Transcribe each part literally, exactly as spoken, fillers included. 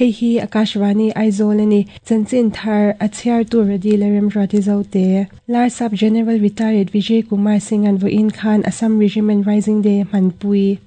Hei hi Akashvani Aizawl ani chanchin thar a chhiar tu ready le remruati zote Larsap General Retired Vijay Kumar Singh an voin khan Assam Regiment Rising Day manpui.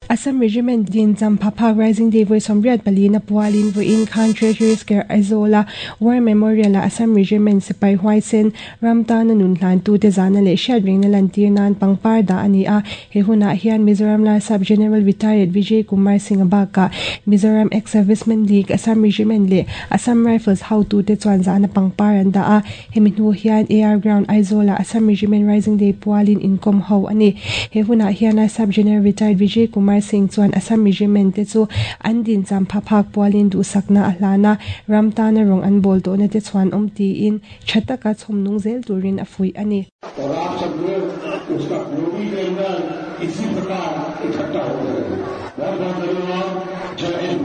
Assam Regiment din Champhaphak Rising Day voi somriat palina pualin voin khan Treasury Square Aizola War Memorial a Assam Regiment sipai huaisen ramtana nun hlan tu te zana le hriat na lantir nan pangpar da ani a he huna hian Mizoram Larsap General Retired Vijay Kumar Singh baka Mizoram Ex-Servicemen League Assam Regiment le Assam Rifles how tu te chuan zana pangpar an da a hemi hnu hian A R Ground Aizola Assam Regiment Rising Day pualin inkom ho ani he huna hian Larsap General Retired Vijay Kumar Singh chuan Assam Regiment te chu an din Champhaphak pualin du sakna a hlana ramtana rong an bol to na te chuan om ti in thataka chhomnung zel turin a fui ani. और आप सब लोग उसका पूर्वी के अंदर इसी प्रकार इकट्ठा हो गए। बहुत बहुत धन्यवाद। जय Hind.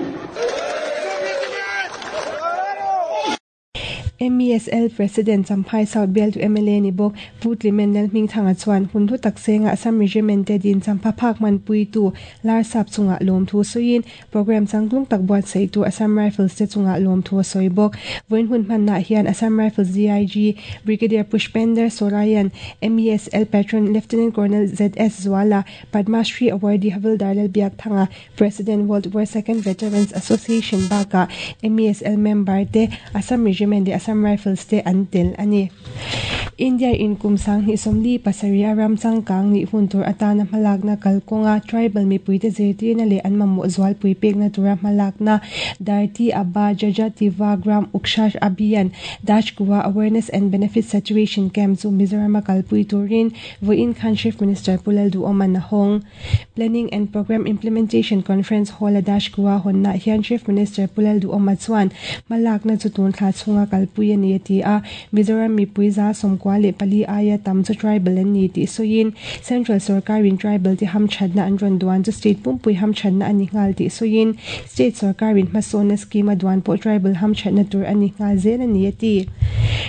M E S L President Champhai South Bial to M L A ni bok Putlimen Lalhming Thanga chuan hun thu tak senga Assam Regiment te din Champhaphak manpui tu Larsap chunga lawm thu soin program changtlung tak buat sei tu Assam Rifles te chunga lawm thu soi bok voin hun hman na hian Assam Rifles D I G Brigadier Pushpender Sorayan M E S L Patron Lieutenant Colonel Z S Zwala Padma Shri Awardee Havildar Lalbiak Thanga President World War Second Veterans Association baka M E S L member te Assam Regiment de Assam Rifles te antel ani. India in kumsang ni somli pasaria ramchang kang ni huntur atana malakna kalkonga tribal mi puite zirtirna le an mamu zwal pui pekna tura malakna Dharti Aba Jajativa Gram Ukshash Abhiyan Dashkuwa Awareness and Benefit Saturation Camp chu Mizoram kalpui turin voin khan Chief Minister Pulal Duoman na hong Planning and Program Implementation Conference Hall a Dashkuwa honna hian Chief Minister Pulal Duoma chuan malakna chu tun thla chunga kalpui ani ti a Mizoram mi puiza somkwa le pali aya tam chu tribal an ni ti soin Central Sarkarin tribal ti ham chadna an ron duan chu state pumpui ham chadna ani ngal ti soin state sarkarin masona scheme duan po tribal ham chadna tur ani ngal zel ani ti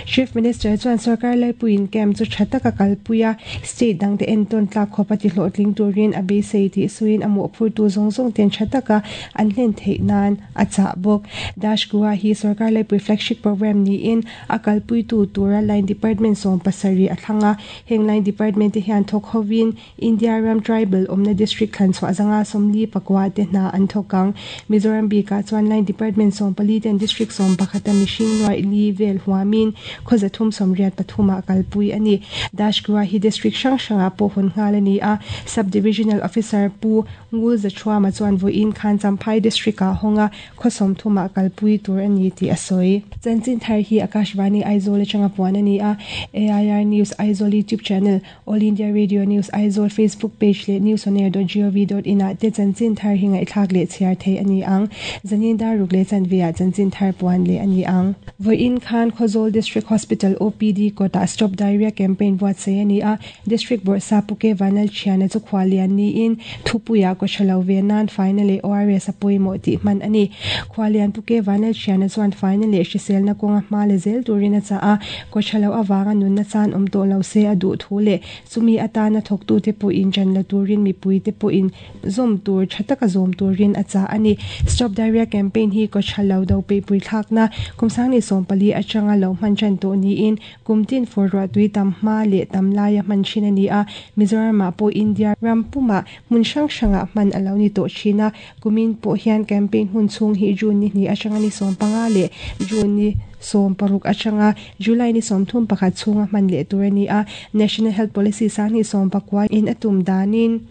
Chief Minister chuan sarkar lai puin camp chu thataka kalpuia state dang te enton tla khopati hlotling turin abe sei ti soin amu phur tu zong zong ten thataka an hlen theinan acha bok Dashkuwa hi sarkar lai pui flagship program ni in akalpui tu tura line department som pasari athanga heng line department te hian thok hovin India ram tribal omna district khan chwa zanga somli pakwa te na an thokang Mizoram bi ka chuan line department som pali ten district som pakhata machine noi li vel huamin khoza thum somriat pathuma kalpui ani Dashkuwa hi district sang sanga po hun ngal ani a sub divisional officer pu ngul za chwa ma chuan vo in khan Champhai district a honga khosom thuma kalpui tur ani ti asoi chanchin thar hi Akashvani Aizawl changa puan ani a A I R News Aizawl YouTube channel All India Radio News Aizawl Facebook page le news on air dot gov dot in a te chanchin thar hinga ithak le chhiar thei ani ang zanin dar ruk le chanvia chanchin thar puan le ani ang voin khan Khawzawl District Hospital O P D kota Stop Diarrhea Campaign buat sei ani a District Board Sapuke Vanal Chiana chu khwalian ni in thupuya ko thalo ve nan finally O R S apoi mo ti man ani khwalian puke Vanal Chiana chuan finally hrisel na konga hma le zel turina cha a ko thalo awanga nun na chan om to lo se adu thu le chumi atana thoktu te pu in chan la turin mi pui te pu in zom tur thataka zom turin acha ani Stop Diarrhea Campaign hi ko thalo do pe pui thak na kumsang ni sompali achanga lo man chan to ni in kumtin for ro tui tam ma le tam laia man chin ani a Mizoram ma po India rampuma mun sang sanga man alo ni to china kumin po hian campaign hun chung hi June ni ni achanga ni sompanga le June ni som paruk achanga July ni som thum pakhat chunga man le tur ani a National Health Policy sang ni som pakwa in atum danin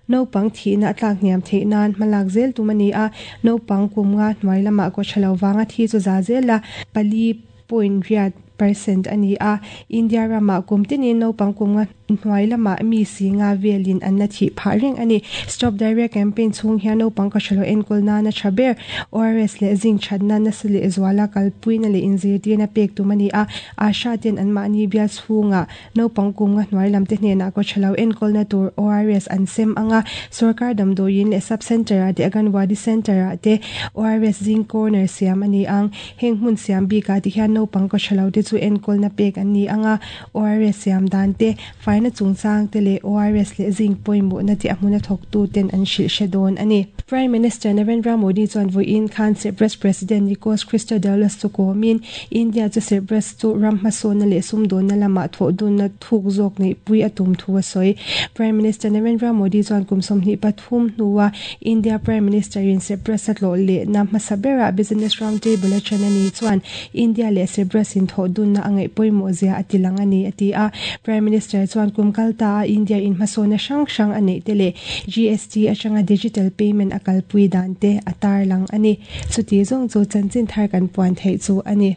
no pang thi na tlak niam the nan malak zel tumani a no pang kumnga hnuai lama ko thalo wanga thi chu za zel la pali point riat percent a ni a. India ramah kum tinin naupang kum nga hnuai lamah mi si nga velin an la thih phah reng a ni. Stop Diarrhea Campaign chhung hian naupang kawthalo enkawl nana tha ber O R S leh zinc thatna nasa leh zuala kalpuina leh inzirtirna pek tum a ni a. Asha ten an mahni bial chhungah naupang kum nga hnuai lam te hnenah kawthalo enkawlna tur O R S an sem anga sarkar damdawiin leh sub center ah te Anganwadi center ah te O R S zinc corner siam a ni ang. Heng hmun siam bikah ti hian naupang kawthalo te chu enkawlna pek an ni anga O R S siam dan te faina chungchang te leh O R S leh zinc pawimawhna te a hmuna thawktu ten an hrilh hre dawn a ni. Prime Minister Narendra Modi chuan vawiin khan Cyprus President Nikos Christodoulos chu kawmin India chu Cyprus chu ram hmasawnna leh sumdawnna lamah thawh dunna thuk zawk neih pui a tum thu a sawi. Prime Minister Narendra Modi chuan kum sawmhnih pathum hnuah India Prime Minister in Cyprus a tlawh lehna hmasa berah Business Round Table a then a ni chuan India leh Cyprus in thawh dunna a ngaih pawimawh zia a ti lang a ni a ti a. Prime Minister chuan kum kalta a India in hmasawnna hrang hrang a neih te leh G S T atanga digital payment a kalpui dan te a tar lang a ni. Chuti zawng chu chanchin thar kan puan theih chu a ni.